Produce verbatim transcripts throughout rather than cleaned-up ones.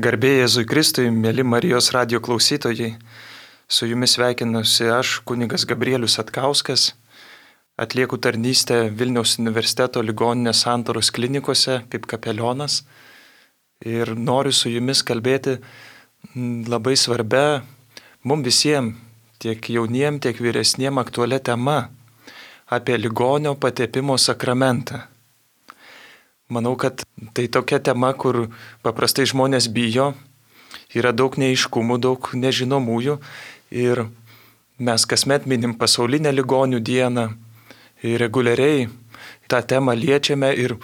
Garbė Jėzui Kristui, mėly Marijos radijo klausytojai, su jumis sveikinusi aš, kunigas Gabrielius Atkauskas, atlieku tarnystę Vilniaus universiteto ligoninės Santaros klinikose kaip kapelionas ir noriu su jumis kalbėti labai svarbia mums visiems, tiek jauniem, tiek vyresniem aktualia tema apie ligonio patepimo sakramentą. Manau, kad tai tokia tema, kur paprastai žmonės bijo, yra daug neaiškumų, daug nežinomųjų ir mes kasmet minim pasaulinę ligonių dieną ir reguliariai tą temą liečiame ir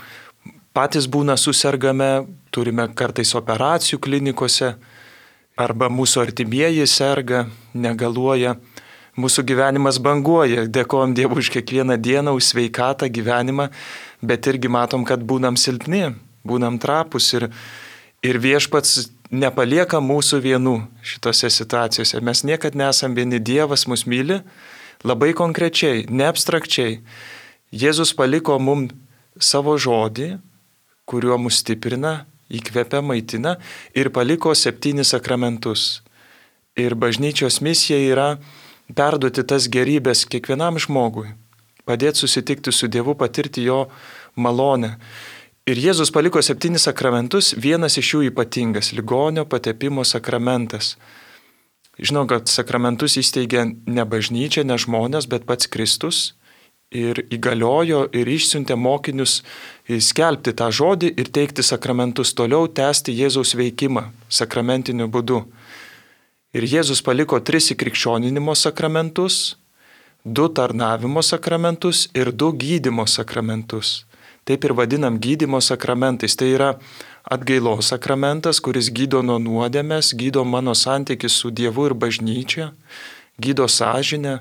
patys būna susergame, turime kartais operacijų klinikose arba mūsų artimieji serga, negaluoja, mūsų gyvenimas banguoja, dėkojam Dievui už kiekvieną dieną, už sveikatą gyvenimą, bet irgi matom, kad būnam silpni, būnam trapus ir, ir Viešpats nepalieka mūsų vienų šitose situacijose. Mes niekad nesam vieni, Dievas mus myli labai konkrečiai, ne abstrakčiai. Jėzus paliko mums savo žodį, kuriuo mus stiprina, įkvepia, maitina ir paliko septynis sakramentus. Ir bažnyčios misija yra perduoti tas gerybės kiekvienam žmogui, padėti susitikti su Dievu, patirti jo malonę. Ir Jėzus paliko septynis sakramentus, vienas iš jų ypatingas – ligonio patepimo sakramentas. Žinau, kad sakramentus įsteigė ne bažnyčia, ne žmonės, bet pats Kristus ir įgaliojo ir išsiuntė mokinius skelbti tą žodį ir teikti sakramentus, toliau tęsti Jėzaus veikimą sakramentiniu būdu. Ir Jėzus paliko tris įkrikščioninimo sakramentus, du tarnavimo sakramentus ir du gydymo sakramentus. Taip ir vadinam gydymo sakramentais. Tai yra atgailos sakramentas, kuris gydo nuo nuodėmės, gydo mano santykį su Dievu ir bažnyčia, gydo sąžinę.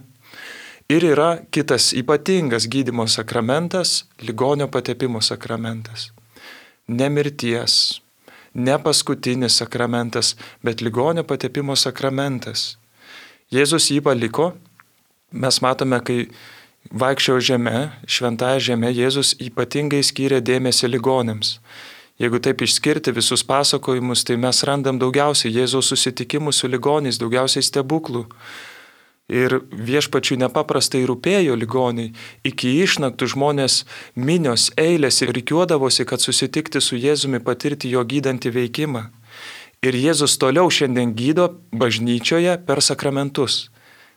Ir yra kitas ypatingas gydymo sakramentas, ligonio patepimo sakramentas. Ne mirties. Ne paskutinis sakramentas, bet ligonio patepimo sakramentas. Jėzus jį paliko. Mes matome, kai vaikščiojo žeme, šventąja žeme, Jėzus ypatingai skyrė dėmesį ligonėms. Jeigu taip išskirti visus pasakojimus, tai mes randam daugiausiai Jėzaus susitikimų su ligoniais, daugiausiai stebuklų. Ir Viešpačiui nepaprastai rūpėjo ligoniai. Iki išnaktų žmonės minios eilės ir rikiuodavosi, kad susitikti su Jėzumi, patirti jo gydantį veikimą. Ir Jėzus toliau šiandien gydo bažnyčioje per sakramentus.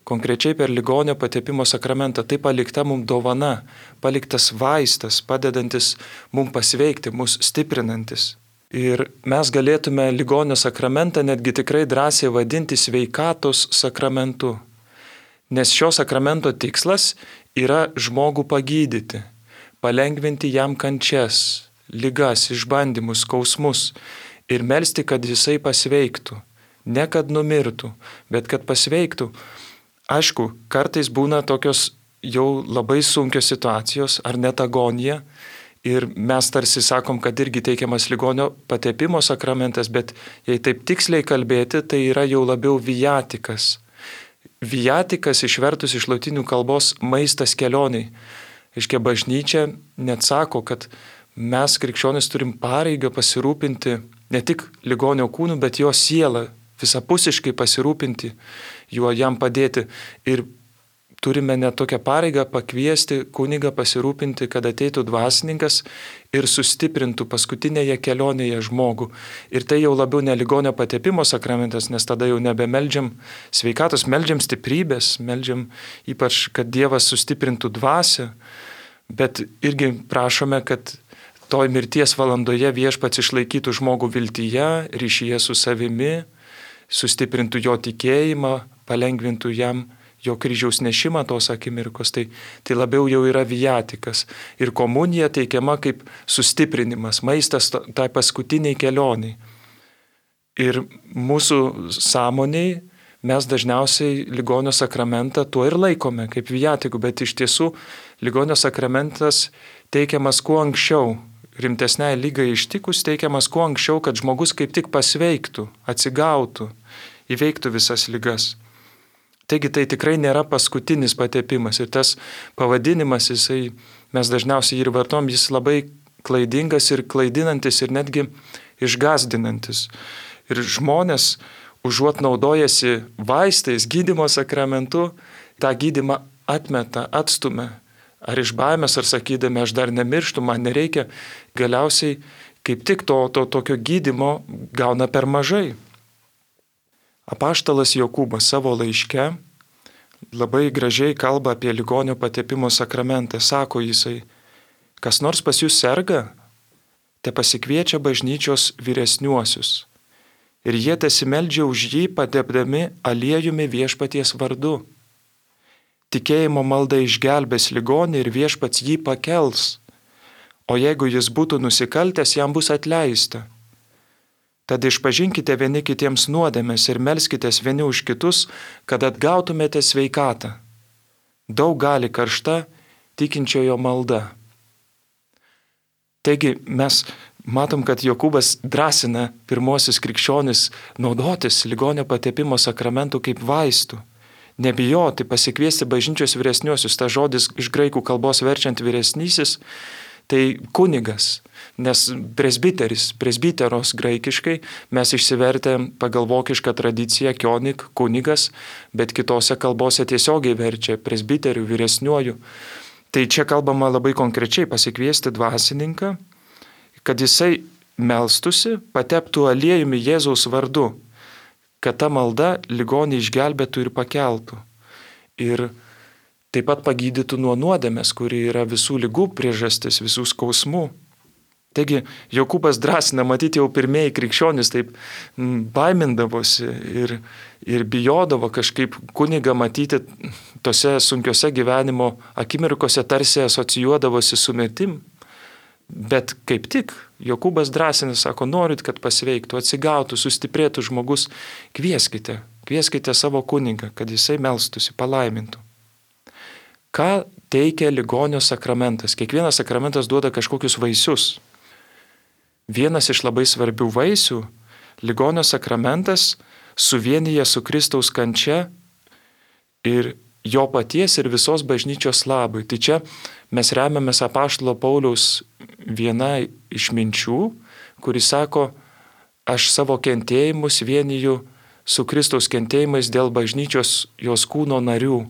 Konkrečiai per ligonio patepimo sakramentą. Tai palikta mums dovana, paliktas vaistas, padedantis mums pasveikti, mus stiprinantis. Ir mes galėtume ligonio sakramentą netgi tikrai drąsiai vadinti sveikatos sakramentu. Nes šio sakramento tikslas yra žmogų pagydyti, palengvinti jam kančias, ligas, išbandymus, skausmus ir melsti, kad jisai pasveiktų. Ne kad numirtų, bet kad pasveiktų. Aišku, kartais būna tokios jau labai sunkios situacijos ar net agonija ir mes tarsi sakom, kad irgi teikiamas ligonio patepimo sakramentas, bet jei taip tiksliai kalbėti, tai yra jau labiau viatikas. Viatikas išvertus iš lotynų kalbos maistas kelioniai. Aiškia, bažnyčia net sako, kad mes krikščionys turim pareigą pasirūpinti ne tik ligonio kūnu, bet jo sielą, visapusiškai pasirūpinti juo, jam padėti. Ir turime net tokią pareigą pakviesti kunigą pasirūpinti, kad ateitų dvasininkas ir sustiprintų paskutinėje kelionėje žmogų. Ir tai jau labiau ne ligonio patepimo sakramentas, nes tada jau nebemeldžiam sveikatos, meldžiam stiprybės, meldžiam ypač, kad Dievas sustiprintų dvasią, bet irgi prašome, kad toj mirties valandoje Viešpats išlaikytų žmogų viltyje, ryšyje su savimi, sustiprintų jo tikėjimą, palengvintų jam jo kryžiaus nešimą tos akimirkos, tai, tai labiau jau yra viatikas. Ir komunija teikiama kaip sustiprinimas, maistas tai paskutiniai kelioniai. Ir mūsų sąmoniai mes dažniausiai ligonio sakramentą tuo ir laikome, kaip viatikų, bet iš tiesų ligonio sakramentas teikiamas kuo anksčiau, rimtesniai lygai ištikus teikiamas kuo anksčiau, kad žmogus kaip tik pasveiktų, atsigautų, įveiktų visas ligas. Taigi tai tikrai nėra paskutinis patepimas ir tas pavadinimas, jisai, mes dažniausiai ir vartom, jis labai klaidingas ir klaidinantis ir netgi išgazdinantis. Ir žmonės, užuot naudojasi vaistais, gydymo sakramentu, tą gydymą atmeta, atstumia. Ar iš baimės, ar sakydami, aš dar nemirštu, man nereikia, galiausiai kaip tik to, to tokio gydymo gauna per mažai. Apaštalas Jokūbas savo laiške labai gražiai kalba apie ligonio patepimo sakramentą. Sako jisai, kas nors pas jūs serga, te pasikviečia bažnyčios vyresniuosius. Ir jie tesimeldžia už jį, patepdami aliejumi viešpaties vardu. Tikėjimo malda išgelbės ligonį ir viešpats jį pakels, o jeigu jis būtų nusikaltęs, jam bus atleista. Tad išpažinkite vieni kitiems nuodėmes ir melskitės vieni už kitus, kad atgautumėte sveikatą. Daug gali karšta tikinčiojo malda. Taigi mes matom, kad Jokūbas drąsina pirmosius krikščionis naudotis ligonio patepimo sakramentu kaip vaistų. Nebijoti, pasikviesti bažnyčios vyresniuosius. Ta žodis iš graikų kalbos verčiant vyresnysis, tai kunigas, nes presbiteris, presbiteros graikiškai mes išsivertę pagal vokišką tradiciją kionik, kunigas, bet kitose kalbose tiesiogiai verčia presbiterių, vyresniuoju. Tai čia kalbama labai konkrečiai pasikviesti dvasininką, kad jisai melstusi, pateptų aliejumi Jėzaus vardu, kad ta malda ligonį išgelbėtų ir pakeltų. Ir taip pat pagydytų nuo nuodėmės, kuri yra visų ligų priežastis, visų skausmų. Taigi Jokūbas drąsina, matyti jau pirmieji krikščionys taip baimindavosi ir, ir bijodavo kažkaip kunigą matyti tose sunkiose gyvenimo akimirkose, tarsi asocijuodavosi su mirtim. Bet kaip tik Jokūbas drąsina, sako, norit, kad pasveiktų, atsigautų, sustiprėtų žmogus, kvieskite, kvieskite savo kunigą, kad jisai melstųsi, palaimintų. Ką teikia ligonio sakramentas? Kiekvienas sakramentas duoda kažkokius vaisius. Vienas iš labai svarbių vaisių, ligonio sakramentas suvienyje su Kristaus kančia ir jo paties ir visos bažnyčios labui. Tai čia mes remiamės apaštalo Pauliaus viena iš minčių, kuris sako, aš savo kentėjimus vieniju su Kristaus kentėjimais dėl bažnyčios jos kūno narių.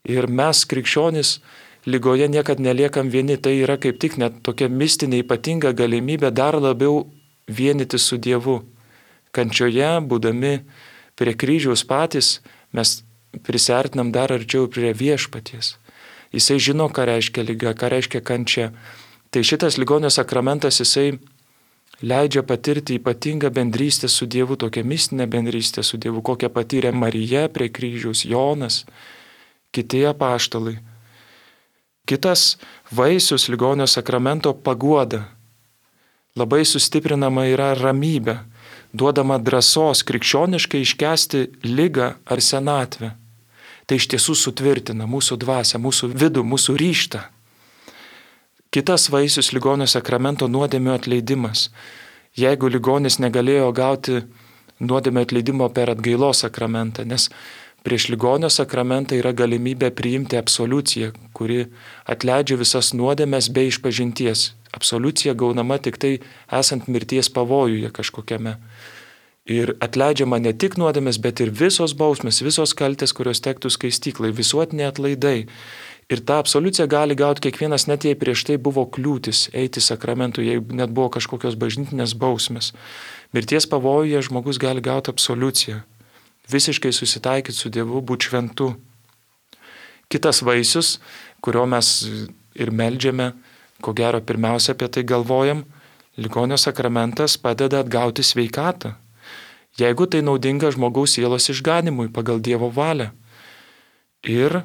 Ir mes, krikščionys, lygoje niekad neliekam vieni, tai yra kaip tik net tokia mistinė ypatinga galimybė dar labiau vienyti su Dievu. Kančioje, būdami prie kryžiaus patys, mes prisiartinam dar arčiau prie viešpaties. Jisai žino, ką reiškia lyga, ką reiškia kančia. Tai šitas ligonio sakramentas, jisai leidžia patirti ypatingą bendrystę su Dievu, tokią mistinę bendrystę su Dievu, kokią patyrė Marija prie kryžiaus, Jonas, kiti apaštalai. Kitas vaisius ligonio sakramento paguoda. Labai sustiprinama yra ramybė, duodama drąsos krikščioniškai iškęsti ligą ar senatvę. Tai iš tiesų sutvirtina mūsų dvasią, mūsų vidų, mūsų ryžtą. Kitas vaisius ligonio sakramento nuodėmių atleidimas. Jeigu ligonis negalėjo gauti nuodėmių atleidimo per atgailos sakramentą, nes prieš ligonio sakramentą yra galimybė priimti absoliuciją, kuri atleidžia visas nuodėmes be išpažinties. Absoliucija gaunama tik tai esant mirties pavojuje kažkokiame. Ir atleidžiama ne tik nuodėmės, bet ir visos bausmės, visos kaltės, kurios tektų skaistyklai, visuotiniai atlaidai. Ir tą absoliuciją gali gauti kiekvienas, net jei prieš tai buvo kliūtis eiti sakramentų, jei net buvo kažkokios bažnytinės bausmės. Mirties pavojuje žmogus gali gauti absoliuciją, visiškai susitaikyti su Dievu, būti šventu. Kitas vaisius, kurio mes ir meldžiame, ko gero pirmiausia apie tai galvojam, ligonio sakramentas padeda atgauti sveikatą. Jeigu tai naudinga žmogaus sielos išganimui pagal Dievo valią. Ir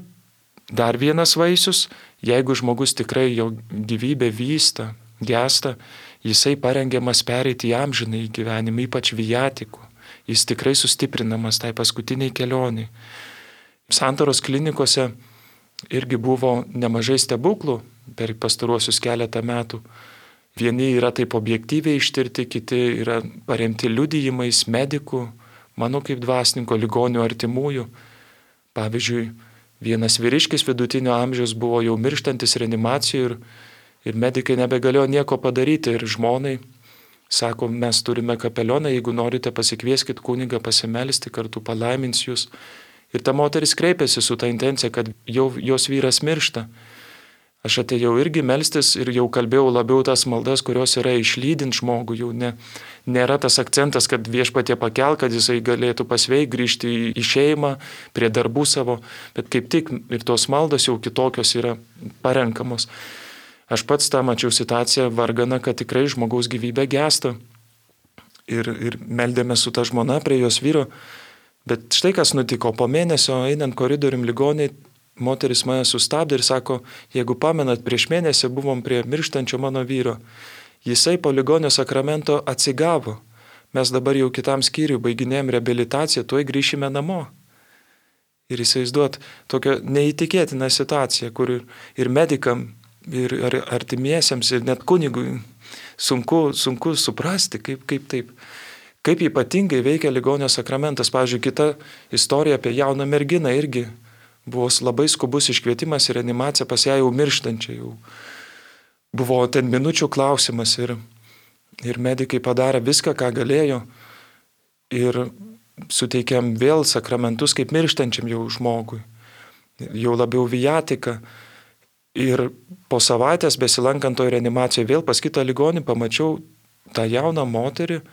dar vienas vaisius, jeigu žmogus tikrai jo gyvybė vysta, gesta, jisai parengiamas pereiti į amžinąjį gyvenimą, ypač viatikų. Jis tikrai sustiprinamas tai paskutiniai kelioniai. Santaros klinikose irgi buvo nemažai stebuklų per pastaruosius keletą metų. Vieni yra taip objektyviai ištirti, kiti yra paremti liudijimais medikų, mano kaip dvasininko, ligonių artimųjų. Pavyzdžiui, vienas vyriškis vidutinio amžiaus buvo jau mirštantis reanimacijoje ir, ir medikai nebegalėjo nieko padaryti ir žmonai Sako, mes turime kapelioną, jeigu norite pasikvieskit kunigą pasimelsti, kartu palaimins jūs. Ir ta moteris kreipėsi su ta intencija, kad jau jos vyras miršta. Aš atėjau irgi melstis ir jau kalbėjau labiau tas maldas, kurios yra išlydint žmogų. Jau ne, nėra tas akcentas, kad viešpatie pakel, kad jisai galėtų pasveik, grįžti į, į šeimą, prie darbų savo, bet kaip tik ir tos maldos jau kitokios yra parenkamos. Aš pats tą mačiau situaciją vargana, kad tikrai žmogaus gyvybė gęsta. Ir, ir meldėme su ta žmona prie jos vyro. Bet štai kas nutiko, po mėnesio einant koridorium ligoniai, moteris mane sustabdė ir sako, jeigu pamenat, prieš mėnesį buvom prie mirštančio mano vyro. Jisai po ligonio sakramento atsigavo. Mes dabar jau kitam skyriui baiginėjom reabilitaciją, tuoj grįšime namo. Ir įsivaizduot tokią neįtikėtiną situaciją, kur ir, ir medikam, ir artimiesiems, ir net kunigui sunku, sunku suprasti, kaip, kaip taip. Kaip ypatingai veikia ligonio sakramentas. Pavyzdžiui, kita istorija apie jauną merginą irgi buvo labai skubus iškvietimas į reanimaciją pas ją jau mirštančią. Jau buvo ten minučių klausimas ir, ir medikai padarė viską, ką galėjo ir suteikėm vėl sakramentus kaip mirštančiam jau žmogui. Jau labiau viatika. Ir po savaitės besilankant toj reanimacijoje vėl pas kitą ligonį pamačiau tą jauną moterį,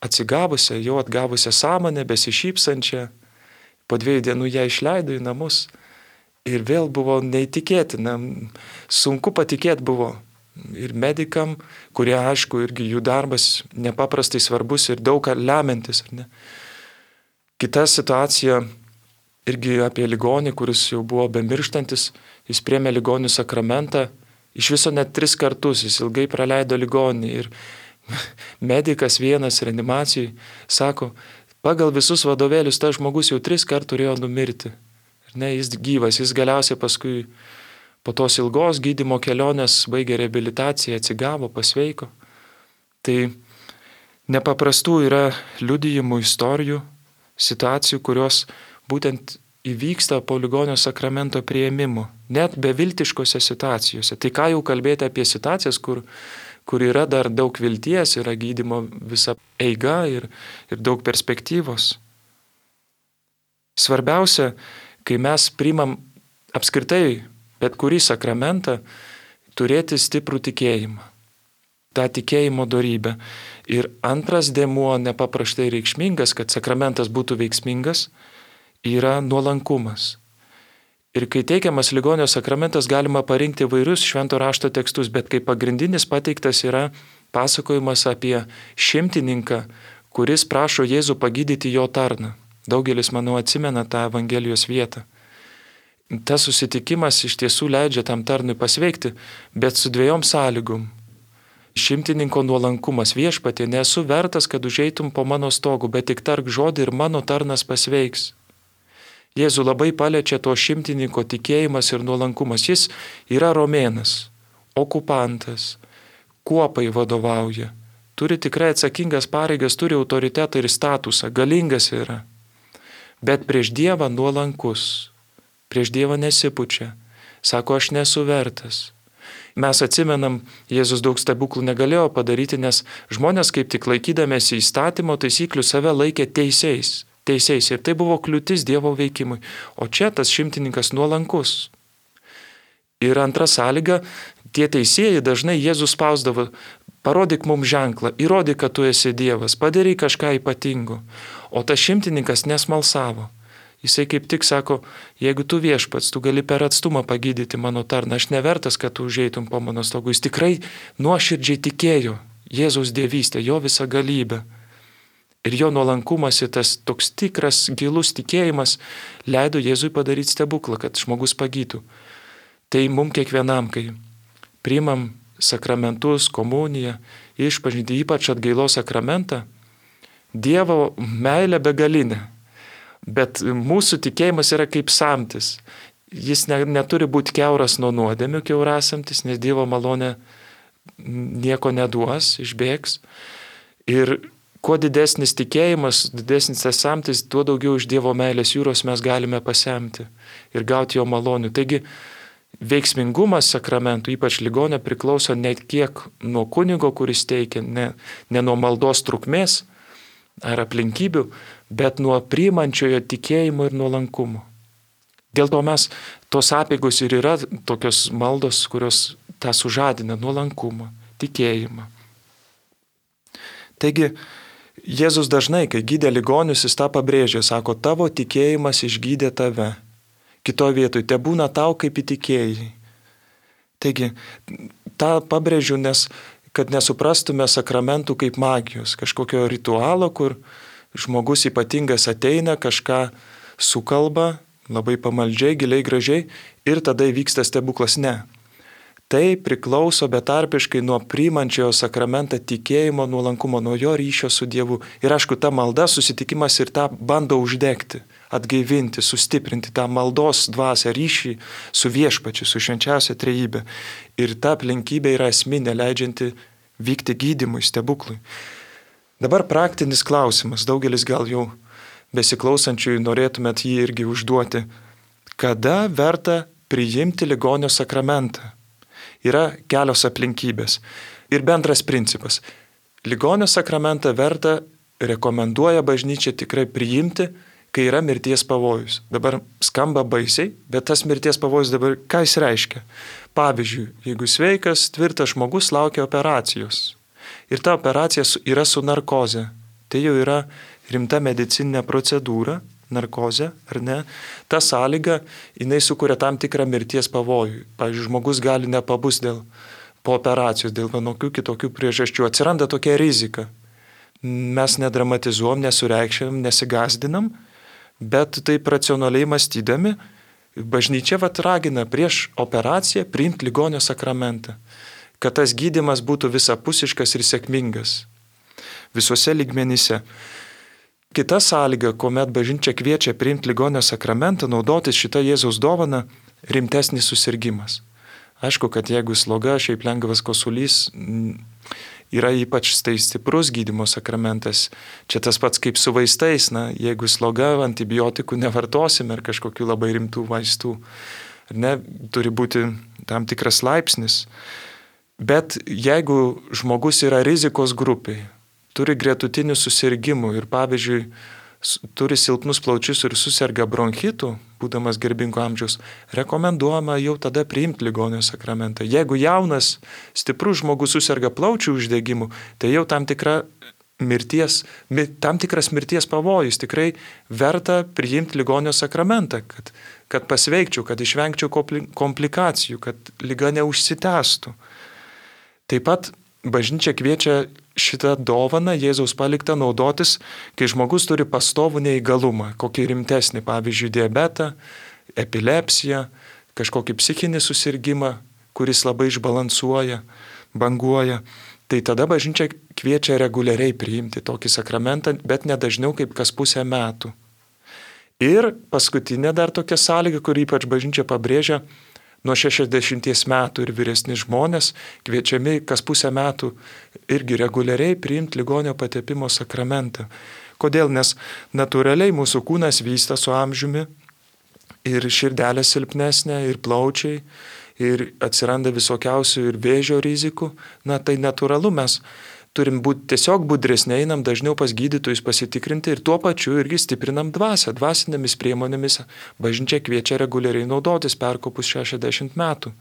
atsigavusią, jau atgavusią sąmonę, besišypsančią. Po dviejų dienų ją išleido į namus. Ir vėl buvo neįtikėtina. Sunku patikėti buvo ir medikam, kurie, aišku, irgi jų darbas nepaprastai svarbus ir daug ką lemiantis. Ar ne? Kita situacija irgi apie ligonį, kuris jau buvo bemirštantis. Jis priėmė ligonių sakramentą. Iš viso net tris kartus jis ilgai praleido ligonį. Ir medikas vienas reanimacijai sako, pagal visus vadovėlius tas žmogus jau tris kartų turėjo numirti. Ir ne, jis gyvas, jis galiausiai paskui po tos ilgos gydymo kelionės baigė reabilitaciją, atsigavo, pasveiko. Tai nepaprastų yra liudijimų istorijų, situacijų, kurios būtent įvyksta po ligonio sakramento priėmimo, net beviltiškose situacijose. Tai ką jau kalbėti apie situacijas, kur kur yra dar daug vilties, yra gydymo visa eiga ir, ir daug perspektyvos. Svarbiausia, kai mes priimam apskritai bet kurį sakramentą, turėti stiprų tikėjimą, tą tikėjimo dorybę. Ir antras dėmuo nepaprastai reikšmingas, kad sakramentas būtų veiksmingas, yra nuolankumas. Ir kai teikiamas ligonio sakramentas, galima parinkti vairius švento rašto tekstus, bet kaip pagrindinis pateiktas yra pasakojimas apie šimtininką, kuris prašo Jėzų pagydyti jo tarną. Daugelis, manau, atsimena tą Evangelijos vietą. Tas susitikimas iš tiesų leidžia tam tarnui pasveikti, bet su dviejom sąlygom. Šimtininko nuolankumas: viešpatie, nesu vertas, kad užeitum po mano stogu, bet tik tark žodį ir mano tarnas pasveiks. Jėzų labai paliečia to šimtininko tikėjimas ir nuolankumas. Jis yra romėnas, okupantas, kuopai vadovauja, turi tikrai atsakingas pareigas, turi autoritetą ir statusą, galingas yra. Bet prieš Dievą nuolankus, prieš Dievą nesipučia, sako, aš nesu vertas. Mes atsimenam, Jėzus daug stebuklų negalėjo padaryti, nes žmonės kaip tik laikydamėsi įstatymo taisyklių save laikė teisiais. teisiais ir tai buvo kliūtis Dievo veikimui. O čia tas šimtininkas nuolankus. Ir antra sąlyga, tie teisėjai dažnai Jėzus spausdavo: parodyk mums ženklą, įrodyk, kad tu esi Dievas, padaryk kažką ypatingo. O tas šimtininkas nesmalsavo. Jisai kaip tik sako, jeigu tu viešpats, tu gali per atstumą pagydyti mano tarną, aš nevertas, kad tu užeitum po mano stogu. Jis tikrai nuoširdžiai tikėjo Jėzaus dievystę, jo visą galybę. Ir jo nuolankumas ir tas toks tikras gilus tikėjimas leido Jėzui padaryti stebuklą, kad žmogus pagytų. Tai mums kiekvienam, kai priimam sakramentus, komuniją, išpažintį, ypač atgailos sakramentą, Dievo meilė begalinė. Bet mūsų tikėjimas yra kaip samtis. Jis ne, neturi būti kiauras nuo nuodėmių, kiaurasamtis, nes Dievo malonė nieko neduos, išbėgs. Ir kuo didesnis tikėjimas, didesnis tas samtis, tuo daugiau iš Dievo meilės jūros mes galime pasemti ir gauti jo malonių. Taigi veiksmingumas sakramentų, ypač ligonio, priklauso ne kiek nuo kunigo, kuris teikia, ne, ne nuo maldos trukmės ar aplinkybių, bet nuo priimančiojo tikėjimo ir nuolankumo. Dėl to mes, tos apeigos ir yra tokios maldos, kurios tą sužadina nuolankumą, tikėjimą. Taigi, Jėzus dažnai, kai gydė ligonius, jis tą pabrėžė, sako, tavo tikėjimas išgydė tave. Kitoje vietoje, te būna tau kaip įtikėjai. Taigi, tą pabrėžiu, nes kad nesuprastume sakramentų kaip magijos, kažkokio ritualo, kur žmogus ypatingas ateina, kažką sukalba, labai pamaldžiai, giliai, gražiai ir tada įvyksta stebuklas. Ne. Tai priklauso betarpiškai nuo priimančiojo sakramentą tikėjimo, nuolankumo, nuo jo ryšio su Dievu. Ir aišku, ta malda, susitikimas ir tą bando uždegti, atgaivinti, sustiprinti tą maldos dvasią, ryšį su viešpačiu, su švenčiausia trejybė. Ir ta aplinkybė yra esminė, leidžianti vykti gydymui, stebuklui. Dabar praktinis klausimas, daugelis gal jau besiklausančiųjų norėtumėt jį irgi užduoti. Kada verta priimti ligonio sakramentą? Yra kelios aplinkybės. Ir bendras principas. Ligonio sakramentą verta, rekomenduoja bažnyčia tikrai priimti, kai yra mirties pavojus. Dabar skamba baisiai, bet tas mirties pavojus dabar ką jis reiškia? Pavyzdžiui, jeigu sveikas, tvirtas žmogus laukia operacijos ir ta operacija yra su narkoze, tai jau yra rimta medicininė procedūra, narkozė, ar ne, ta sąlyga, jinai sukuria tam tikrą mirties pavojų. Pavyzdžiui, žmogus gali nepabus dėl po operacijos, dėl vienokių kitokių priežasčių. Atsiranda tokia rizika. Mes nedramatizuom, nesureikščiam, nesigazdinam, bet taip racionaliai mąstydami, bažnyčia vat ragina prieš operaciją priimti ligonio sakramentą, kad tas gydymas būtų visapusiškas ir sėkmingas visuose lygmenyse. Kita sąlyga, kuomet bažnyčia kviečia priimti ligonio sakramentą, naudotis šitą Jėzaus dovaną, rimtesnis susirgimas. Aišku, kad jeigu sloga, šiaip lengvas kosulys, yra ypač tai stiprus gydymo sakramentas. Čia tas pats kaip su vaistais, na, jeigu sloga, antibiotikų nevartosime ar kažkokių labai rimtų vaistų. Ne, turi būti tam tikras laipsnis. Bet jeigu žmogus yra rizikos grupiai, turi gretutinių susirgymų ir, pavyzdžiui, turi silpnus plaučius ir suserga bronchitų, būdamas garbingo amžiaus, rekomenduojama jau tada priimti ligonio sakramentą. Jeigu jaunas, stiprus žmogus suserga plaučių uždegimu, tai jau tam, tikra mirties, tam tikras mirties pavojus, tikrai verta priimti ligonio sakramentą, kad, kad pasveikčiau, kad išvengčiau komplikacijų, kad liga neužsitęstų. Taip pat bažnyčia kviečia šitą dovaną Jėzaus paliktą naudotis, kai žmogus turi pastovų neįgalumą, kokį rimtesnį, pavyzdžiui, diabetą, epilepsiją, kažkokį psichinį susirgymą, kuris labai išbalansuoja, banguoja. Tai tada bažnyčia kviečia reguliariai priimti tokį sakramentą, bet ne dažniau kaip kas pusę metų. Ir paskutinė dar tokia sąlyga, kur ypač bažnyčia pabrėžia, nuo šešiasdešimties metų ir vyresni žmonės kviečiami kas pusę metų irgi reguliariai priimti ligonio patepimo sakramentą. Kodėl? Nes natūraliai mūsų kūnas vysta su amžiumi ir širdelė silpnesnė, ir plaučiai, ir atsiranda visokiausių ir vėžio rizikų. Na tai natūralu, mes turim būti tiesiog budresni, einam dažniau pas gydytojus pasitikrinti ir tuo pačiu irgi stiprinam dvasią. Dvasinėmis priemonėmis bažnyčia kviečia reguliariai naudotis perkopus šešiasdešimt metų.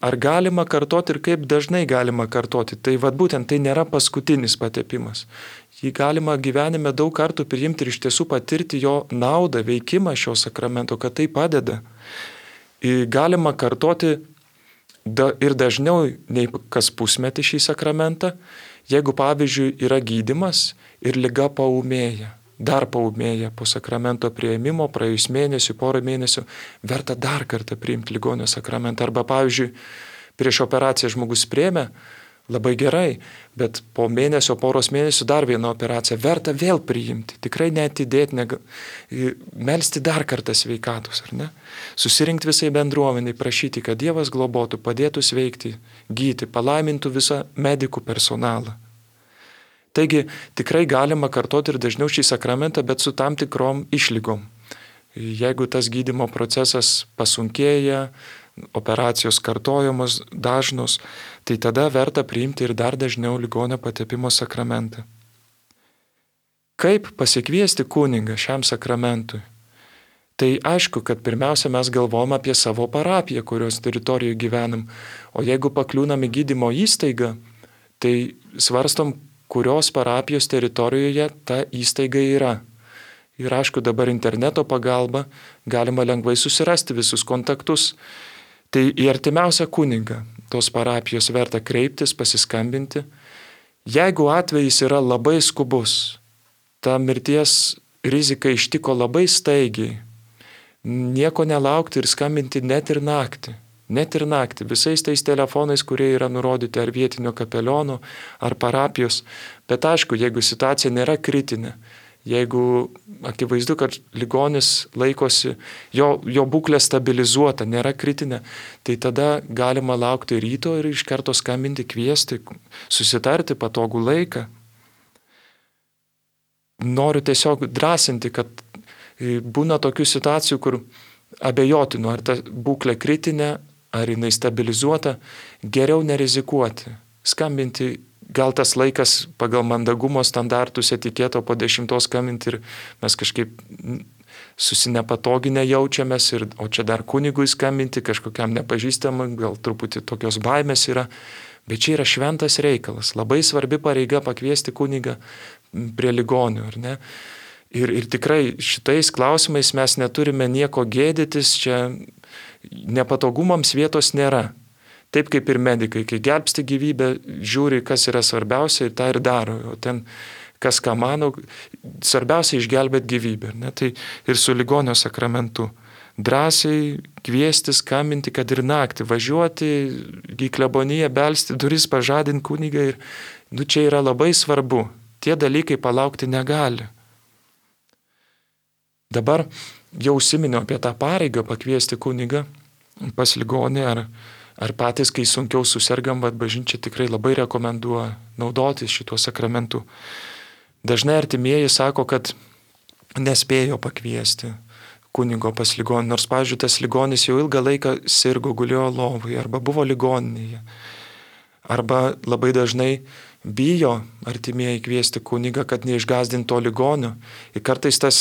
Ar galima kartoti ir kaip dažnai galima kartoti? Tai vad būtent tai nėra paskutinis patepimas. Jį galima gyvenime daug kartų priimti ir iš tiesų patirti jo naudą, veikimą šio sakramento, kad tai padeda. Galima kartoti Da, ir dažniau nei kas pusmetį šį sakramentą, jeigu pavyzdžiui yra gydymas ir liga paūmėja, dar paūmėja po sakramento priėmimo, praėjus mėnesių, porą mėnesių, verta dar kartą priimti ligonio sakramentą. Arba pavyzdžiui, prieš operaciją žmogus priėmė, labai gerai, bet po mėnesio, poros mėnesių dar vieną operaciją verta vėl priimti, tikrai neatidėti, nega, melsti dar kartą sveikatus, ar ne? Susirinkti visai bendruomeniai, prašyti, kad Dievas globotų, padėtų sveikti, gyti, palaimintų visą medikų personalą. Taigi tikrai galima kartoti ir dažniau šį sakramentą, bet su tam tikrom išlygom. Jeigu tas gydymo procesas pasunkėja, operacijos kartojamos dažnos, tai tada verta priimti ir dar dažniau ligonio patepimo sakramentą. Kaip pasikviesti kunigą šiam sakramentui? Tai aišku, kad pirmiausia mes galvom apie savo parapiją, kurios teritorijoje gyvenam, o jeigu pakliūnam į gydymo įstaigą, tai svarstom, kurios parapijos teritorijoje ta įstaiga yra. Ir aišku, dabar interneto pagalba galima lengvai susirasti visus kontaktus. Tai į artimiausią kunigą tos parapijos verta kreiptis, pasiskambinti. Jeigu atvejis yra labai skubus, ta mirties rizika ištiko labai staigiai, nieko nelaukti ir skambinti net ir naktį. Net ir naktį, visais tais telefonais, kurie yra nurodyti ar vietinio kapeliono, ar parapijos. Bet aišku, jeigu situacija nėra kritinė, jeigu akivaizdu, kad ligonis laikosi, jo, jo būklė stabilizuota, nėra kritinė, tai tada galima laukti ryto ir iš karto skambinti, kviesti, susitarti patogų laiką. Noriu tiesiog drąsinti, kad būna tokių situacijų, kur abejotinu, ar ta būklė kritinė, ar jinai stabilizuota, geriau nerizikuoti. Skambinti, gal tas laikas pagal mandagumo standartus etiketo po dešimtos skambinti ir mes kažkaip susinepatoginę jaučiamės, ir, o čia dar kunigui skambinti, kažkokiam nepažįstamam, gal truputį tokios baimės yra. Bet čia yra šventas reikalas, labai svarbi pareiga pakviesti kunigą prie ligonių, ar ne? Ir, ir tikrai šitais klausimais mes neturime nieko gėdytis, čia nepatogumams vietos nėra. Taip kaip ir medikai, kai gelbsti gyvybę, žiūri, kas yra svarbiausia ir tą ir daro. O ten, kas ką mano, svarbiausia išgelbėti gyvybę. Ne? Tai ir su ligonio sakramentu. Drąsiai kviesti, skambinti, kad ir naktį, važiuoti į kleboniją, belsti duris, pažadinti kunigą. Ir, nu, čia yra labai svarbu. Tie dalykai palaukti negali. Dabar jau užsiminiau apie tą pareigą pakviesti kunigą pas ligonį, ar, ar patys, kai sunkiau susirgam, bet bažnyčia tikrai labai rekomenduoja naudotis šituo sakramentu. Dažnai artimieji sako, kad nespėjo pakviesti kunigo pas ligonį, nors, pavyzdžiui, tas ligonis jau ilgą laiką sirgo, gulėjo lovoje, arba buvo ligoninėje. Arba labai dažnai bijo artimieji kviesti kunigą, kad neišgąsdintų to ligonio. Ir kartais tas,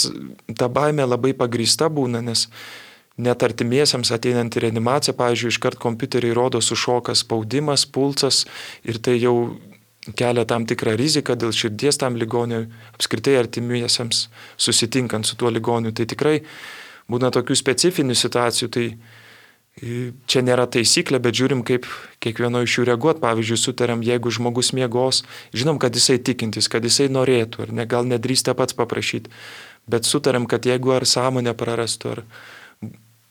ta baimė labai pagrįsta būna, nes net artimiesiems ateinant į reanimaciją, pavyzdžiui, iškart kompiuteriai rodo sušokas spaudimas, pulsas, ir tai jau kelia tam tikrą riziką dėl širdies tam ligoniui, apskritai artimiesiems susitinkant su tuo ligoniu. Tai tikrai būna tokių specifinių situacijų, tai čia nėra taisyklė, bet žiūrim, kaip kiekvieno iš jų reaguot. Pavyzdžiui, sutariam, jeigu žmogus miegos, žinom, kad jisai tikintis, kad jisai norėtų, ar ne, gal nedrįsta pats paprašyti, bet sutariam, kad jeigu ar sąmonę prarastų, ar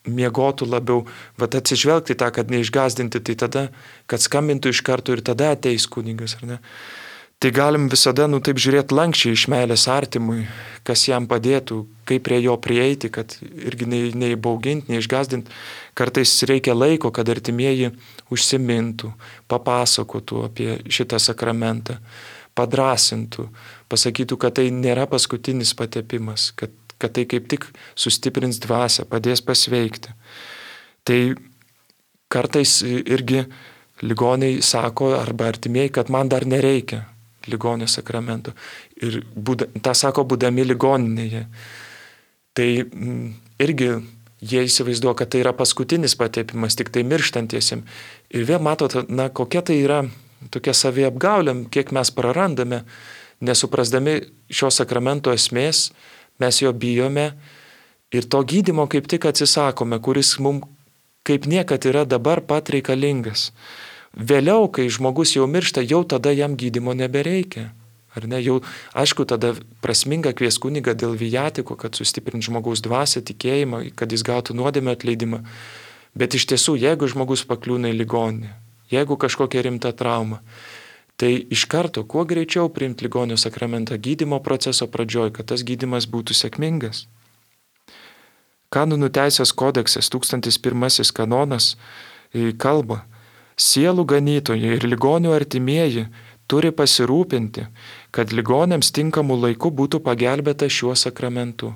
miegotų labiau, vat atsižvelgti tą, kad neišgąsdinti, tai tada, kad skambintų iš karto ir tada ateis kunigas, ar ne. Tai galim visada, nu taip žiūrėti lankščiai iš meilės artimui, kas jam padėtų, kaip prie jo prieiti, kad irgi neįbauginti, neišgąsdinti. Kartais reikia laiko, kad artimieji užsimintų, papasakotų apie šitą sakramentą, padrasintų, pasakytų, kad tai nėra paskutinis patepimas, kad, kad tai kaip tik sustiprins dvasią, padės pasveikti. Tai kartais irgi ligoniai sako arba artimieji, kad man dar nereikia ligonio sakramento. Ir būda, tą sako būdami ligoninėje. Tai m, irgi jie įsivaizduoja, kad tai yra paskutinis patepimas, tik tai mirštantiesiam. Ir vėl matot, na, kokia tai yra tokia saviapgaulė, kiek mes prarandame, nesuprasdami šio sakramento esmės, mes jo bijome ir to gydymo kaip tik atsisakome, kuris mums kaip niekad yra dabar pat reikalingas. Vėliau, kai žmogus jau miršta, jau tada jam gydymo nebereikia. Ar ne? Jau, aišku, tada prasminga kvies kunigą dėl vijatiko, kad sustiprinti žmogaus dvasią, tikėjimą, kad jis gautų nuodėmę atleidimą. Bet iš tiesų, jeigu žmogus pakliūna į ligoninę, jeigu kažkokia rimta trauma, tai iš karto, kuo greičiau priimti ligonio sakramentą gydymo proceso pradžioj, kad tas gydymas būtų sėkmingas. Kanonų teisės kodeksas, tūkstantis pirmasis kanonas, kalba, sielų ganytojai ir ligonių artimieji turi pasirūpinti, kad ligoniams tinkamų laikų būtų pagelbėta šiuo sakramentu.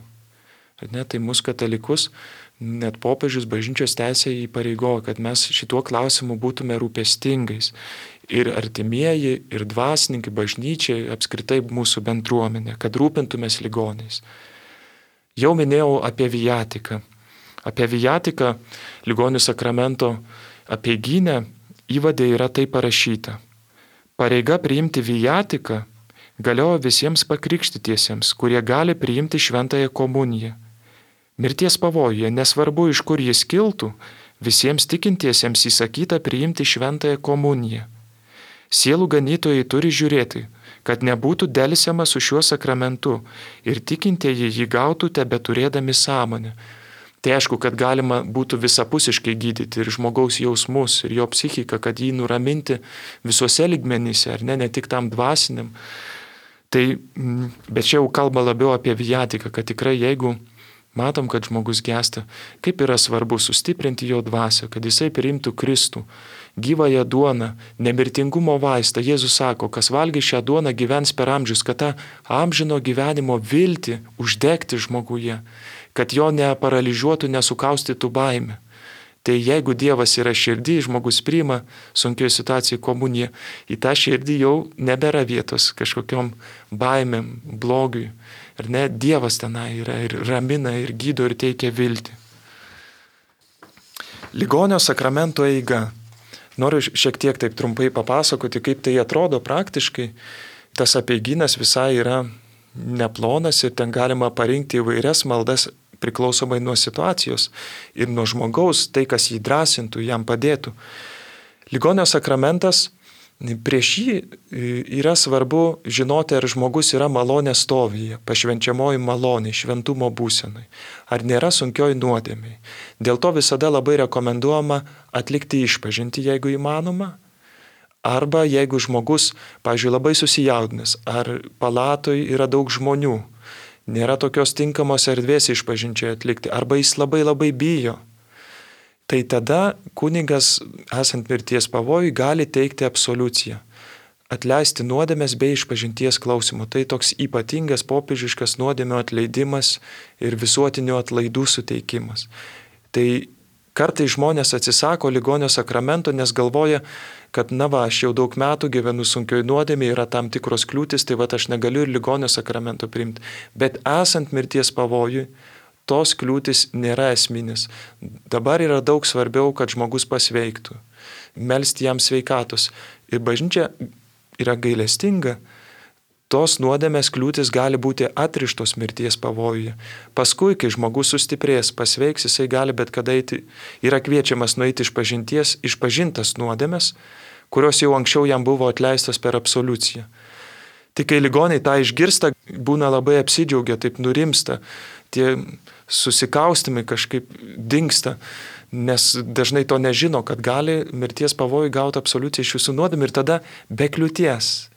Ne, tai mūsų katalikus, net popiežius bažnyčios teisė įpareigojo, kad mes šituo klausimu būtume rūpestingais. Ir artimieji, ir dvasininkai, bažnyčiai, apskritai mūsų bendruomenė, kad rūpintumės ligoniais. Jau minėjau apie viatiką. Apie viatiką ligonių sakramento apeigyne įvade yra tai parašyta. Pareiga priimti viatiką galioja visiems pakrikštytiesiems, kurie gali priimti šventąją komuniją. Mirties pavojuje, nesvarbu iš kur jis kiltų, visiems tikintiesiems įsakyta priimti šventąją komuniją. Sielų ganytojai turi žiūrėti, kad nebūtų delsiama su šiuo sakramentu ir tikintieji jį gautų tebeturėdami sąmonę. Tai aišku, kad galima būtų visapusiškai gydyti ir žmogaus jausmus, ir jo psichiką, kad jį nuraminti visuose lygmenyse, ar ne, ne tik tam dvasiniam. Tai, bet čia jau kalba labiau apie viatiką, kad tikrai jeigu matom, kad žmogus gęsta, kaip yra svarbu sustiprinti jo dvasią, kad jisai priimtų Kristų, gyvąją duoną, nemirtingumo vaistą. Jėzus sako, kas valgys šią duoną gyvens per amžius, kad tą amžino gyvenimo viltį uždegti žmoguje, kad jo neparalyžiuotų, nesukaustytų baimė. Tai jeigu Dievas yra širdį, žmogus priima sunkioje situacijoje komuniją, į tą širdį jau nebėra vietos kažkokiom baimėm, blogiui. Ar ne, Dievas tenai yra ir ramina, ir gydo, ir teikia viltį. Ligonio sakramento eiga. Noriu šiek tiek taip trumpai papasakoti, kaip tai atrodo praktiškai. Tas apeigynas visai yra neplonas ir ten galima parinkti įvairias maldas priklausomai nuo situacijos ir nuo žmogaus, tai kas jį drąsintų, jam padėtų. Ligonio sakramentas, prieš jį yra svarbu žinoti, ar žmogus yra malonės stovyje, pašvenčiamoji malonė, šventumo būsenai, ar nėra sunkioj nuodėmėj. Dėl to visada labai rekomenduojama atlikti išpažintį, jeigu įmanoma, arba jeigu žmogus, pavyzdžiui, labai susijaudinęs, ar palatoj yra daug žmonių, nėra tokios tinkamos erdvės išpažinčiai atlikti, arba jis labai labai bijo. Tai tada kunigas, esant mirties pavojui, gali teikti absoliuciją, atleisti nuodėmes bei išpažinties klausimo. Tai toks ypatingas popiežiškas nuodėmio atleidimas ir visuotinio atlaidų suteikimas. Tai kartai žmonės atsisako ligonio sakramento, nes galvoja, kad na va, aš jau daug metų gyvenu sunkioj nuodėmėje, yra tam tikros kliūtis, tai va aš negaliu ir ligonio sakramento priimti. Bet esant mirties pavojui, tos kliūtis nėra esminis. Dabar yra daug svarbiau, kad žmogus pasveiktų, melsti jam sveikatos. Ir bažnyčia yra gailestinga, tos nuodėmės kliūtis gali būti atrištos mirties pavojuje. Paskui, kai žmogus sustiprės, pasveiks, jisai gali bet kada eiti, yra kviečiamas nueiti iš pažinties, išpažintas nuodėmės, kurios jau anksčiau jam buvo atleistos per absoliuciją. Tik kai ligoniai tą išgirsta, būna labai apsidžiaugia, taip nurimsta, tie susikaustimai kažkaip dingsta, nes dažnai to nežino, kad gali mirties pavojų gauti absoliuciją iš visų nuodėmių ir tada be kliūties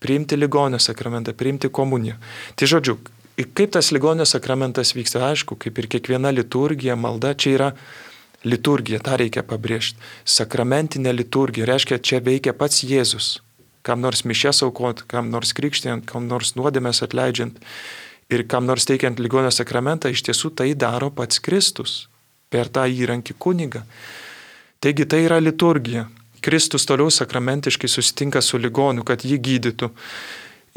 priimti ligonio sakramentą, priimti komuniją. Tai žodžiu, kaip tas ligonio sakramentas vyksta, aišku, kaip ir kiekviena liturgija, malda, čia yra liturgija, tą reikia pabrėžti. Sakramentinė liturgija, reiškia, čia veikia pats Jėzus. Kam nors mišias aukot, kam nors krikštijant, kam nors nuodėmes atleidžiant ir kam nors teikiant ligonio sakramentą, iš tiesų tai daro pats Kristus per tą įrankį kunigą. Taigi tai yra liturgija. Kristus toliau sakramentiškai susitinka su ligoniu, kad jį gydytų.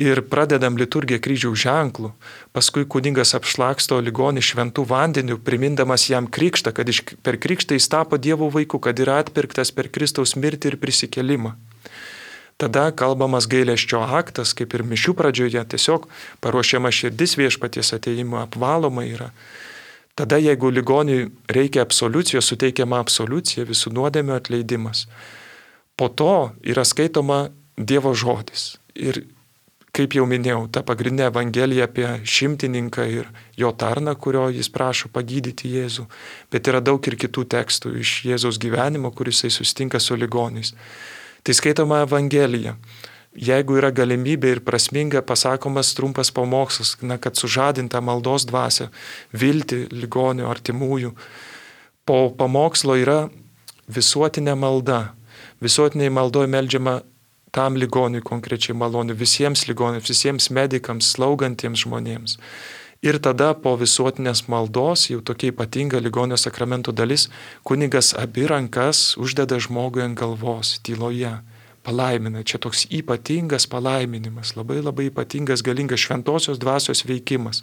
Ir pradedam liturgiją kryžiaus ženklų. Paskui kunigas apšlaksto ligonį šventų vandeniu, primindamas jam krikštą, kad iš, per krikštą jis tapo Dievo vaiku, kad yra atpirktas per Kristaus mirtį ir prisikėlimą. Tada kalbamas gailesčio aktas, kaip ir mišių pradžioje, tiesiog paruošiama širdis viešpaties atėjimo, apvaloma yra. Tada, jeigu ligoniui reikia absoliucijos, suteikiama absoliucija, visų nuodėmių atleidimas. Po to yra skaitoma Dievo žodis. Ir kaip jau minėjau, ta pagrindinė evangelija apie šimtininką ir jo tarną, kurio jis prašo pagydyti Jėzų. Bet yra daug ir kitų tekstų iš Jėzaus gyvenimo, kuris jisai susitinka su ligoniais. Tai skaitoma evangelija. Jeigu yra galimybė ir prasminga, pasakomas trumpas pamokslas, na, kad sužadinta maldos dvasia, viltį ligonio artimųjų. Po pamokslo yra visuotinė malda. Visuotiniai maldoje meldžiama tam ligoniui konkrečiai malonių, visiems ligoniams, visiems medikams, slaugantiems žmonėms. Ir tada po visuotinės maldos, jau tokia ypatinga ligonio sakramento dalis, kunigas abi rankas uždeda žmogui ant galvos, tyloje, palaimina. Čia toks ypatingas palaiminimas, labai labai ypatingas, galingas šventosios dvasios veikimas.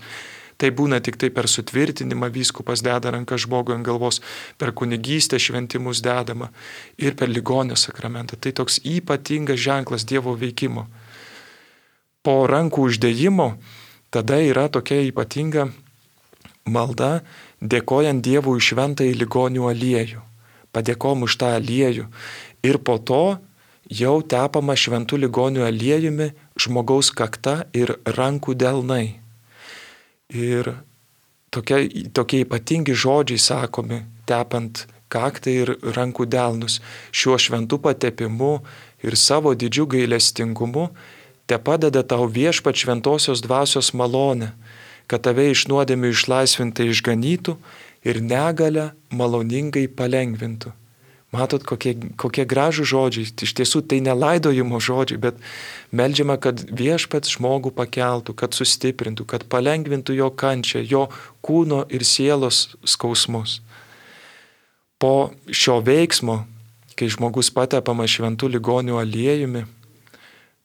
Tai būna tik tai per sutvirtinimą vyskupas deda ranką žmogui ant galvos, per kunigystę šventimus dedama ir per ligonio sakramentą. Tai toks ypatingas ženklas Dievo veikimo. Po rankų uždėjimo tada yra tokia ypatinga malda, dėkojant Dievui už šventąjį ligonių aliejų. Padėkom už tą aliejų. Ir po to jau tepama šventų ligonių aliejumi žmogaus kakta ir rankų delnai. Ir tokie, tokie ypatingi žodžiai sakomi, tepant kaktą ir rankų delnus. Šiuo šventu patepimu ir savo didžiu gailestingumu te padeda tau viešpat šventosios dvasios malonę, kad tave iš nuodėmių išlaisvintai išganytų ir negalę maloningai palengvintų. Matot, kokie, kokie gražų žodžiai. Iš tiesų tai nelaidojimo žodžiai, bet meldžiama, kad viešpats žmogų pakeltų, kad sustiprintų, kad palengvintų jo kančią, jo kūno ir sielos skausmus. Po šio veiksmo, kai žmogus patepamas šventų ligonių aliejumi,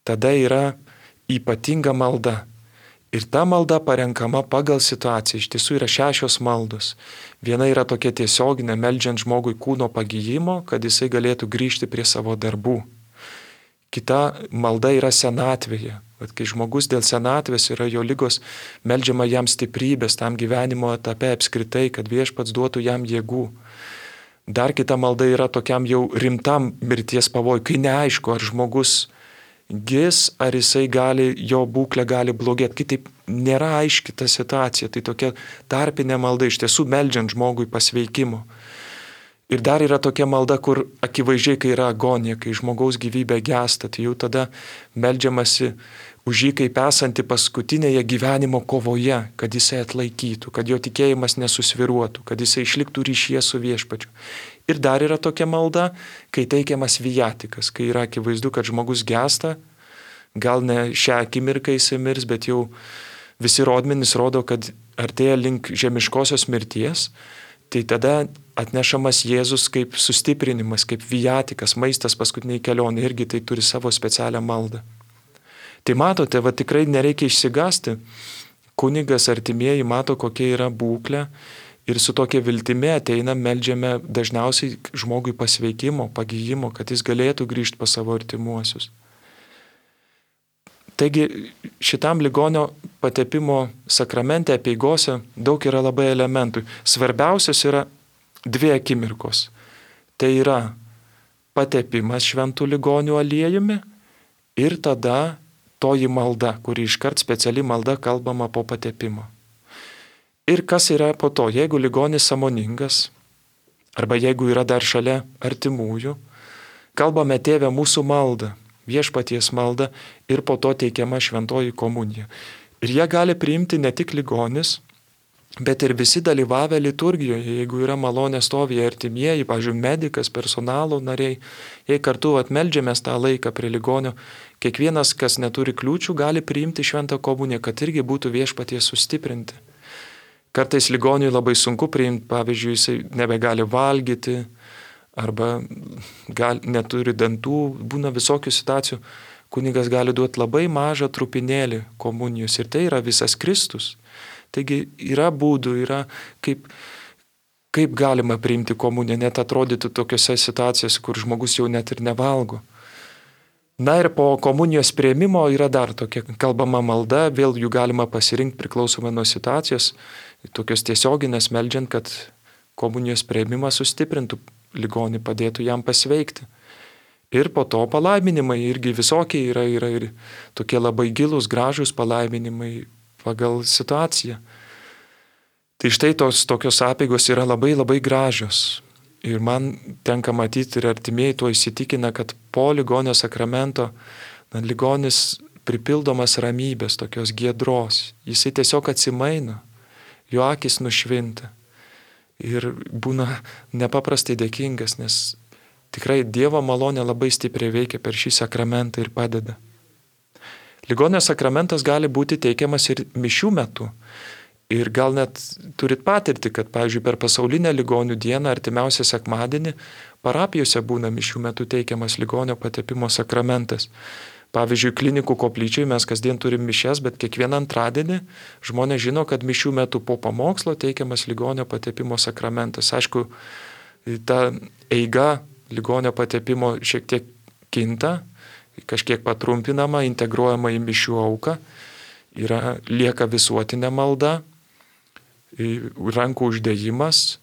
tada yra ypatinga malda. Ir ta malda parenkama pagal situaciją. Iš tiesų yra šešios maldos. Viena yra tokia tiesioginė, meldžiant žmogui kūno pagyjimo, kad jisai galėtų grįžti prie savo darbų. Kita malda yra senatvėje. Vat kai žmogus dėl senatvės yra jo ligos, meldžiama jam stiprybės tam gyvenimo etape apskritai, kad viešpats duotų jam jėgų. Dar kita malda yra tokiam jau rimtam mirties pavojui, kai neaišku, ar žmogus gis, ar jisai gali, jo būklė gali blogėti. Kitaip nėra aiški ta situacija. Tai tokia tarpinė malda, iš tiesų meldžiant žmogui pasveikimo. Ir dar yra tokia malda, kur akivaizdžiai, kai yra agonija, kai žmogaus gyvybė gęsta, tai jau tada meldžiamasi už jį kaip esanti paskutinėje gyvenimo kovoje, kad jisai atlaikytų, kad jo tikėjimas nesusviruotų, kad jisai išliktų ryšyje su viešpačiu. Ir dar yra tokia malda, kai teikiamas viatikas, kai yra akivaizdu, kad žmogus gęsta, gal ne šią akimirką jisai mirs, bet jau visi rodmenys rodo, kad artėja link žemiškosios mirties, tai tada atnešamas Jėzus kaip sustiprinimas, kaip viatikas, maistas paskutiniai kelionė, irgi tai turi savo specialią maldą. Tai matote, va tikrai nereikia išsigąsti, kunigas artimieji mato, kokia yra būklė ir su tokia viltimi ateina, meldžiame dažniausiai žmogui pasveikimo, pagyjimo, kad jis galėtų grįžti pas savo artimuosius. Taigi šitam ligonio patepimo sakramente, apeigose daug yra labai elementų. Svarbiausias yra dvi akimirkos. Tai yra patepimas šventų ligonių aliejumi ir tada toji malda, kuri iškart speciali malda kalbama po patepimo. Ir kas yra po to, jeigu ligonis sąmoningas, arba jeigu yra dar šalia artimųjų, kalbame Tėve mūsų maldą, viešpaties maldą ir po to teikiama šventoji komunija. Ir jie gali priimti ne tik ligonis, bet ir visi dalyvavę liturgijoje, jeigu yra malonė stovyje artimieji, pavyzdžiui, medikas, personalo nariai, jei kartu atmeldžiamės tą laiką prie ligonio, kiekvienas, kas neturi kliūčių, gali priimti šventą komuniją, kad irgi būtų viešpaties sustiprinti. Kartais ligoniui labai sunku priimti, pavyzdžiui, jisai nebegali valgyti, arba gal, neturi dantų, būna visokių situacijų, kunigas gali duoti labai mažą trupinėlį komunijos ir tai yra visas Kristus. Taigi yra būdų, yra kaip, kaip galima priimti komuniją, net atrodytų tokiose situacijose, kur žmogus jau net ir nevalgo. Na ir po komunijos priėmimo yra dar tokia kalbama malda, vėl jų galima pasirinkti priklausomai nuo situacijos, tokios tiesioginės meldžiant, kad komunijos priėmimas sustiprintų ligonį, padėtų jam pasveikti. Ir po to palaiminimai irgi visokie yra, yra ir tokie labai gilūs, gražūs palaiminimai pagal situaciją. Tai štai tos tokios apeigos yra labai labai gražios. Ir man tenka matyti ir artimieji tuo įsitikina, kad po ligonio sakramento na, ligonis pripildomas ramybės, tokios giedros. Jisai tiesiog atsimaina, jo akis nušvinta. Ir būna nepaprastai dėkingas, nes tikrai Dievo malonė labai stipriai veikia per šį sakramentą ir padeda. Ligonio sakramentas gali būti teikiamas ir mišių metu. Ir gal net turit patirti, kad, pavyzdžiui, per pasaulinę ligonių dieną, artimiausią sekmadienį, parapijose būna mišių metu teikiamas ligonio patepimo sakramentas. Pavyzdžiui, klinikų koplyčiai mes kasdien turim mišias, bet kiekvieną antradienį žmonės žino, kad mišių metu po pamokslo teikiamas ligonio patepimo sakramentas. Aišku, ta eiga ligonio patepimo šiek tiek kinta, kažkiek patrumpinama, integruojama į mišių auką, yra, lieka visuotinė malda, rankų uždėjimas,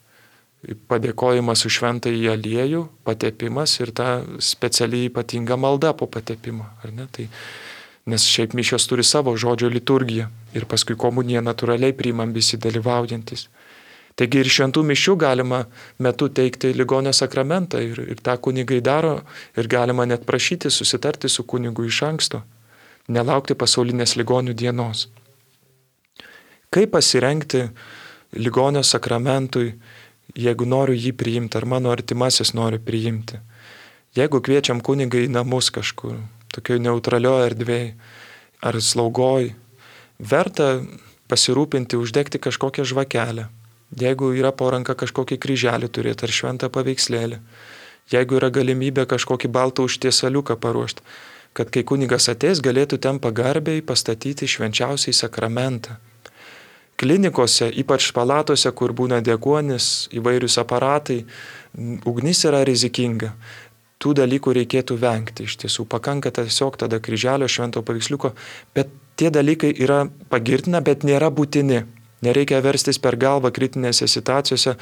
padėkojimas už šventąjį aliejų, patepimas ir ta specialiai ypatinga malda po patepimo. Ar ne? Tai, nes šiaip mišios turi savo žodžio liturgiją ir paskui komuniją natūraliai priimam visi dalyvaujantis. Taigi ir šventų mišių galima metu teikti ligonio sakramentą ir, ir tą kunigai daro ir galima net prašyti, susitarti su kunigu iš anksto, nelaukti pasaulinės ligonių dienos. Kaip pasirengti ligonio sakramentui, jeigu noriu jį priimti, ar mano artimasis nori priimti? Jeigu kviečiam kunigą į namus kažkur, tokioj neutralioje erdvėje ar slaugoj, verta pasirūpinti, uždegti kažkokią žvakelę. Jeigu yra po ranka kažkokį kryželį turėti ar šventą paveikslėlį, jeigu yra galimybė kažkokį baltą užtiesaliuką paruošti, kad kai kunigas ateis, galėtų ten pagarbiai pastatyti švenčiausiai sakramentą. Klinikose, ypač palatose, kur būna deguonis, įvairius aparatai, ugnis yra rizikinga. Tų dalykų reikėtų vengti. Iš tiesų, pakanka tiesiog tada kryželio švento paveiksliuko, bet tie dalykai yra pagirtina, bet nėra būtini. Nereikia verstis per galvą kritinėse situacijose.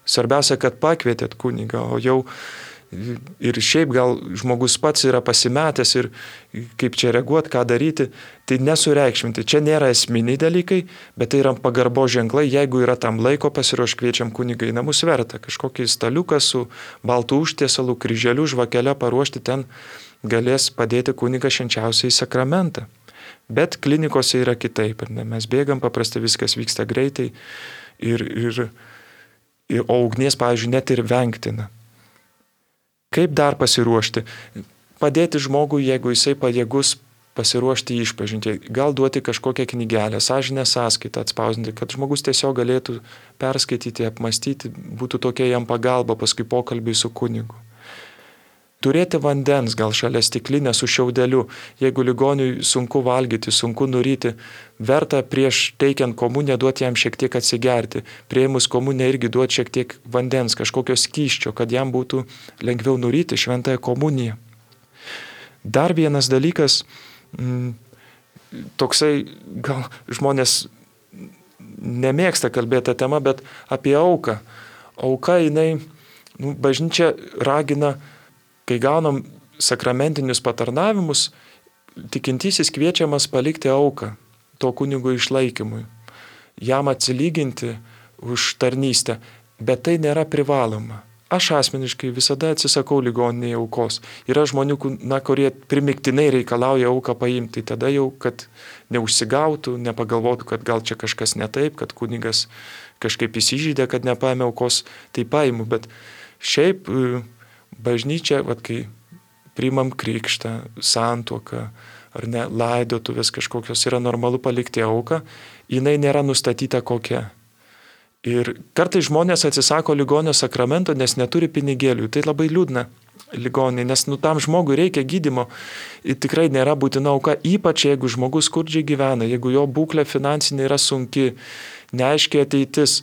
Svarbiausia, kad pakvietėt kunigą, o jau ir šiaip gal žmogus pats yra pasimetęs ir kaip čia reaguoti, ką daryti, tai nesureikšminti. Čia nėra esminiai dalykai, bet tai yra pagarbo ženklai. Jeigu yra tam laiko, pasiruoš kviečiam kunigą į namus, verta kažkokį staliuką su baltų užtiesalu, kryželiu, žvakelę paruošti, ten galės padėti kunigas švenčiausiai sakramentą. Bet klinikose yra kitaip. Ne? Mes bėgam, paprastai viskas vyksta greitai ir, ir, ir o ugnies, pavyzdžiui, net ir vengtina. Kaip dar pasiruošti? Padėti žmogui, jeigu jisai pajėgus pasiruošti išpažinti. Gal duoti kažkokią knygelę, sąžinę sąskaitą atspausinti, kad žmogus tiesiog galėtų perskaityti, apmastyti, būtų tokia jam pagalba paskui pokalbiai su kunigu. Turėti vandens, gal šalia stiklinę su šiaudeliu, jeigu ligoniui sunku valgyti, sunku nuryti, verta prieš teikiant komuniją duoti jam šiek tiek atsigerti, prieimus komuniją irgi duoti šiek tiek vandens, kažkokio skysčio, kad jam būtų lengviau nuryti šventąją komuniją. Dar vienas dalykas, m, toksai, gal žmonės nemėgsta kalbėti tą temą, bet apie auką. Auka, jinai, nu, bažnyčia ragina, kai gaunam sakramentinius patarnavimus, tikintysis kviečiamas palikti auką to kunigo išlaikymui, jam atsilyginti už tarnystę, bet tai nėra privaloma. Aš asmeniškai visada atsisakau ligoninėje aukos. Yra žmonių, na, kurie primiktinai reikalauja auką paimti, tada jau, kad neužsigautų, nepagalvotų, kad gal čia kažkas ne taip, kad kunigas kažkaip įsižeidė, kad nepaėmė aukos, tai paimu, bet šiaip bažnyčia, vat, kai priimam krikštą, santuoką, ar ne, laidotuvės kažkokios, yra normalu palikti auką, jinai nėra nustatyta kokia. Ir kartais žmonės atsisako ligonio sakramento, nes neturi pinigėlių. Tai labai liūdna ligonė, nes nu, tam žmogui reikia gydymo. Ir tikrai nėra būtina auka, ypač jeigu žmogus skurdžiai gyvena, jeigu jo būklė finansinė yra sunki, neaiškiai ateitis,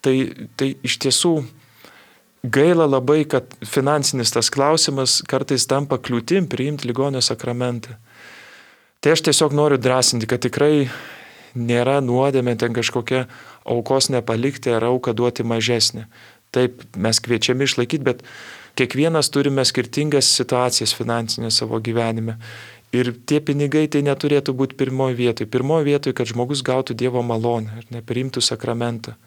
tai, tai iš tiesų gaila labai, kad finansinis tas klausimas kartais tampa kliūtim priimti ligonio sakramentą. Tai aš tiesiog noriu drąsinti, kad tikrai nėra nuodėmė ten kažkokia aukos nepalikti ar auką duoti mažesnį. Taip, mes kviečiami išlaikyti, bet kiekvienas turime skirtingas situacijas finansinės savo gyvenime. Ir tie pinigai tai neturėtų būti pirmoji vietoj. Pirmoji vietoj, kad žmogus gautų Dievo malonę ir nepriimtų sakramentą.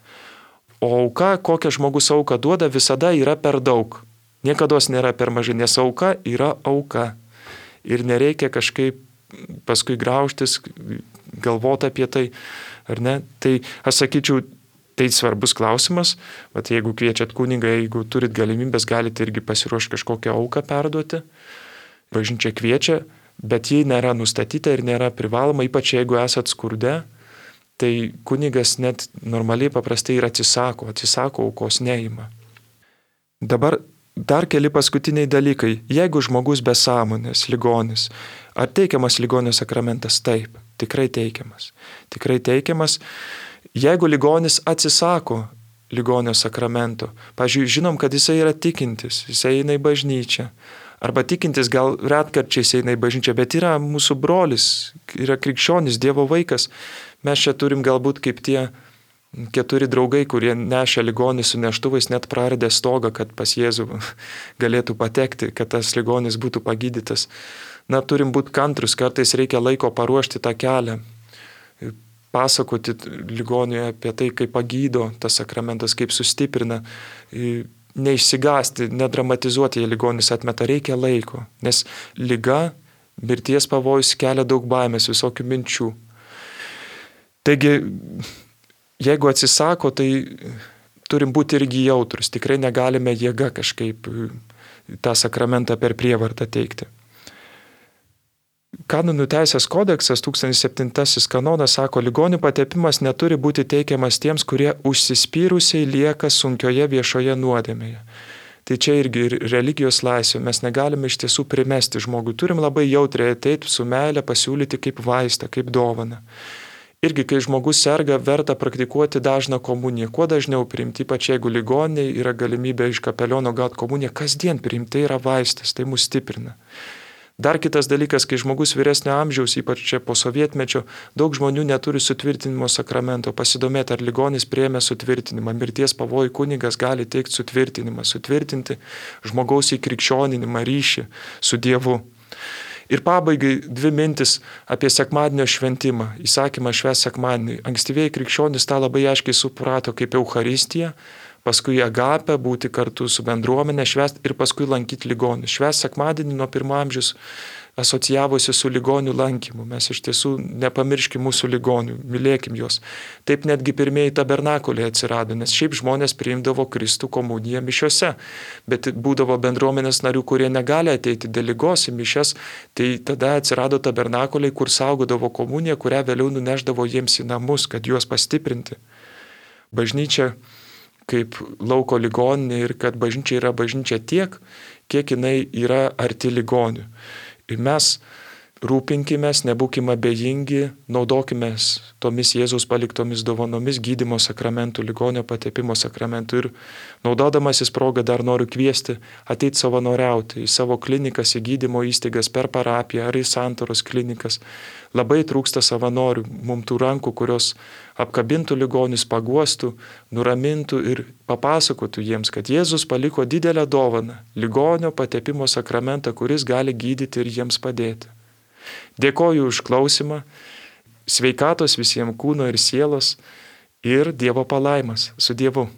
O auka, kokią žmogus auką duoda, visada yra per daug. Niekados nėra per mažai, nes auka yra auka. Ir nereikia kažkaip paskui graužtis, galvoti apie tai, ar ne? Tai aš sakyčiau, tai svarbus klausimas, bet jeigu kviečiat kunigą, jeigu turit galimybės, galite irgi pasiruošti kažkokią auką perduoti. Bažnyčia kviečia, bet ji nėra nustatyta ir nėra privaloma, ypač jeigu esat skurde, tai kunigas net normaliai paprastai ir atsisako, atsisako aukos neima. Dabar dar keli paskutiniai dalykai. Jeigu žmogus be sąmonės, ligonis, ar teikiamas ligonio sakramentas? Taip, tikrai teikiamas. Tikrai teikiamas. Jeigu ligonis atsisako ligonio sakramento, pavyzdžiui, žinom, kad jisai yra tikintis, jisai eina į bažnyčią, arba tikintis gal retkarčiais eina į bažnyčią, bet yra mūsų brolis, yra krikščionis, Dievo vaikas. Mes čia turim galbūt kaip tie keturi draugai, kurie nešė ligonį su neštuvais, net praradė stogą, kad pas Jėzų galėtų patekti, kad tas ligonis būtų pagydytas. Na, turim būti kantrus, kartais reikia laiko paruošti tą kelią, pasakoti ligoniui apie tai, kaip pagydo tas sakramentas, kaip sustiprina, neišsigąsti, nedramatizuoti, jei ligonis atmeta, reikia laiko, nes liga, mirties pavojus kelia daug baimės, visokių minčių. Taigi, jeigu atsisako, tai turim būti irgi jautrus, tikrai negalime jėga kažkaip tą sakramentą per prievartą teikti. Kanonų teisės kodeksas, tūkstantis septintasis kanonas sako, ligonių patepimas neturi būti teikiamas tiems, kurie užsispyrusiai lieka sunkioje viešoje nuodėmėje. Tai čia irgi ir religijos laisvė, mes negalime iš tiesų primesti žmogui, turim labai jautriai ateiti su meile, pasiūlyti kaip vaistą, kaip dovaną. Irgi, kai žmogus serga, verta praktikuoti dažną komuniją, kuo dažniau priimti, ypač jeigu ligoniai yra galimybė iš kapeliono gauti komuniją, kasdien priimti, tai yra vaistas, tai mus stiprina. Dar kitas dalykas, kai žmogus vyresnio amžiaus, ypač čia po sovietmečio, daug žmonių neturi sutvirtinimo sakramento. Pasidomėti, ar ligonis priėmė sutvirtinimą. Mirties pavojų kunigas gali teikti sutvirtinimą, sutvirtinti žmogaus įkrikščioninimą, ryšį su Dievu. Ir pabaigai dvi mintis apie sekmadienio šventimą, įsakymą švęsti sekmadienį. Ankstyvieji krikščionys tą labai aiškiai suprato kaip Eucharistiją, paskui agapę, būti kartu su bendruomenė, švęsti ir paskui lankyti ligonius. Švęsti sekmadienį nuo pirmo amžiaus asocijavosi su ligonių lankymu. Mes iš tiesų nepamirškim mūsų ligonių, mylėkim juos. Taip netgi pirmieji tabernakuliai atsirado, nes šiaip žmonės priimdavo Kristų komuniją mišiose, bet būdavo bendruomenės narių, kurie negali ateiti dėl ligos į mišias, tai tada atsirado tabernakuliai, kur saugodavo komuniją, kurią vėliau nuneždavo jiems į namus, kad juos pastiprinti. Bažnyčia kaip lauko ligoninė ir kad bažnyčia yra bažnyčia tiek, kiek jinai yra arti ligonių. Ir mes rūpinkimės, nebūkime abejingi, naudokimės tomis Jėzaus paliktomis dovanomis, gydymo sakramentų, ligonio patepimo sakramentų. Ir naudodamasis progą dar noriu kviesti ateiti savanoriauti į savo klinikas, į gydymo įstaigas, per parapiją ar į santaros klinikas. Labai trūksta savanorių, mums tų rankų, kurios apkabintų ligonius, paguostų, nuramintų ir papasakotų jiems, kad Jėzus paliko didelę dovaną, ligonio patepimo sakramentą, kuris gali gydyti ir jiems padėti. Dėkoju už klausimą, sveikatos visiems kūno ir sielos ir Dievo palaimas. Su Dievu.